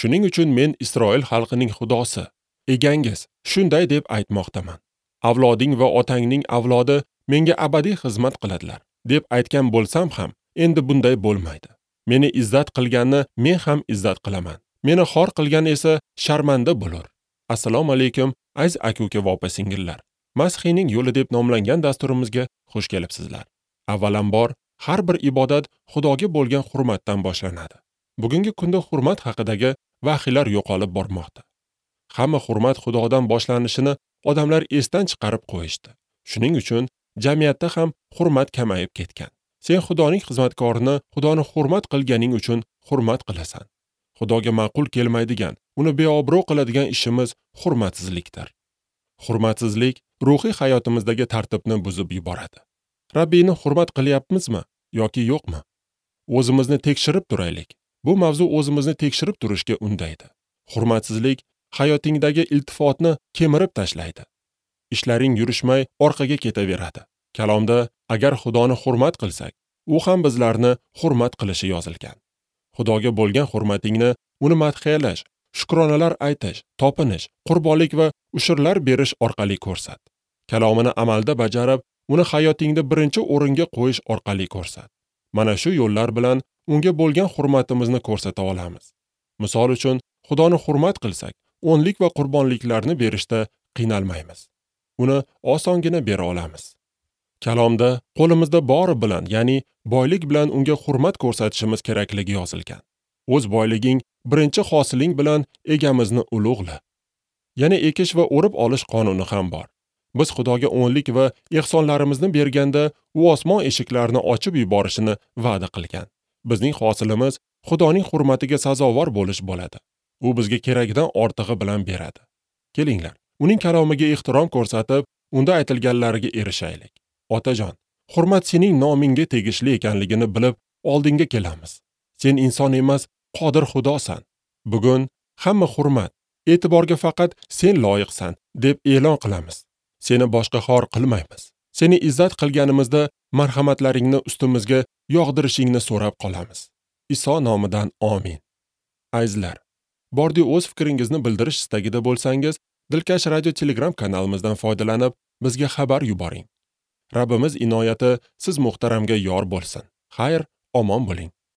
Shuning uchun men Isroil xalqining Xudosi, egangiz, shunday deb aytmoqdaman. Avloding va otangning avlodi menga abadiy xizmat qiladilar, deb aytgan bo'lsam ham, endi bunday bo'lmaydi. Meni izzat qilganni men ham izzat qilaman. Meni xor qilgan esa sharmanda bo'lur. Assalomu alaykum, aziz aka-uka va opa-singillar. Masihiyning yo'li deb nomlangan dasturimizga xush kelibsizlar. Avvalambor, har bir ibodat Xudoga bo'lgan hurmatdan boshlanadi. Bugungi kunda hurmat haqidagi vahiylar yo'qolib bormoqda. Hamma hurmat Xudodan boshlanishini odamlar esdan chiqarib qo'yishdi. Shuning uchun jamiyatda ham hurmat kamayib ketgan. Sen Xudoning xizmatkorini Xudoni hurmat qilganing uchun hurmat qilasan. Xudoga ma'qul kelmaydigan, uni beobro' qiladigan ishimiz hurmatsizlikdir. Hurmatsizlik ruhiy hayotimizdagi tartibni buzib yuboradi. Rabbini hurmat qilyapmizmi yoki yo'qmi? O'zimizni tekshirib turaylik. Bu mavzu o'zimizni tekshirib turishga undaydi. Hurmatsizlik hayotingdagi iltifotni kemirib tashlaydi. Ishlaring yurishmay orqaga ketaveradi. Kalomda agar Xudoni hurmat qilsak, u ham bizlarni hurmat qilishi yozilgan. Xudoga bo'lgan hurmatingni uni madhiyalash, shukronalar aytish, topinish, qurbonlik va ushurlar berish orqali ko'rsat. Kalomini amalda bajarib, uni hayotingda birinchi o'ringa qo'yish orqali ko'rsat. Mana shu yo'llar bilan unga bo'lgan hurmatimizni ko'rsata olamiz. Misol uchun, Xudoni hurmat qilsak, o'nlik va qurbonliklarni berishda qiynalmaymiz. Uni osongina bera olamiz. Kalomda qo'limizda bori bilan, ya'ni boylik bilan unga hurmat ko'rsatishimiz kerakligi yozilgan. O'z boyliging, birinchi hosiling bilan egamizni ulug'la. Yana ekish va o'rib olish qonuni ham bor. Biz Xudoga o'nlik va ehsonlarimizni berganda, u osmon eshiklarini ochib yuborishini va'da qilgan. Bizning hosilimiz Xudoning hurmatiga sazovor bo'lish bo'ladi. U bizga keragidan ortig'i bilan beradi. Kelinglar, uning kalomiga ehtirom ko'rsatib, unda aytilganlariga erishaylik. Otajon, hurmat sening nomingga tegishli ekanligini bilib, oldinga kelamiz. Sen inson emas, qodir Xudosan. Bugun hamma hurmat, e'tiborga faqat sen loyiqsan deb e'lon qilamiz. Seni boshqa xor qilmaymiz. Seni izzat qilganimizda marhamatlaringni ustimizga yog'dirishingni so'rab qolamiz. Iso nomidan amin. Azizlar, bordi o'z fikringizni bildirish istagida bo'lsangiz, Dilkash radio Telegram kanalimizdan foydalanib, bizga xabar yuboring. Rabbimiz inoyati siz muhtaramga yor bo'lsin. Xayr, omon bo'ling.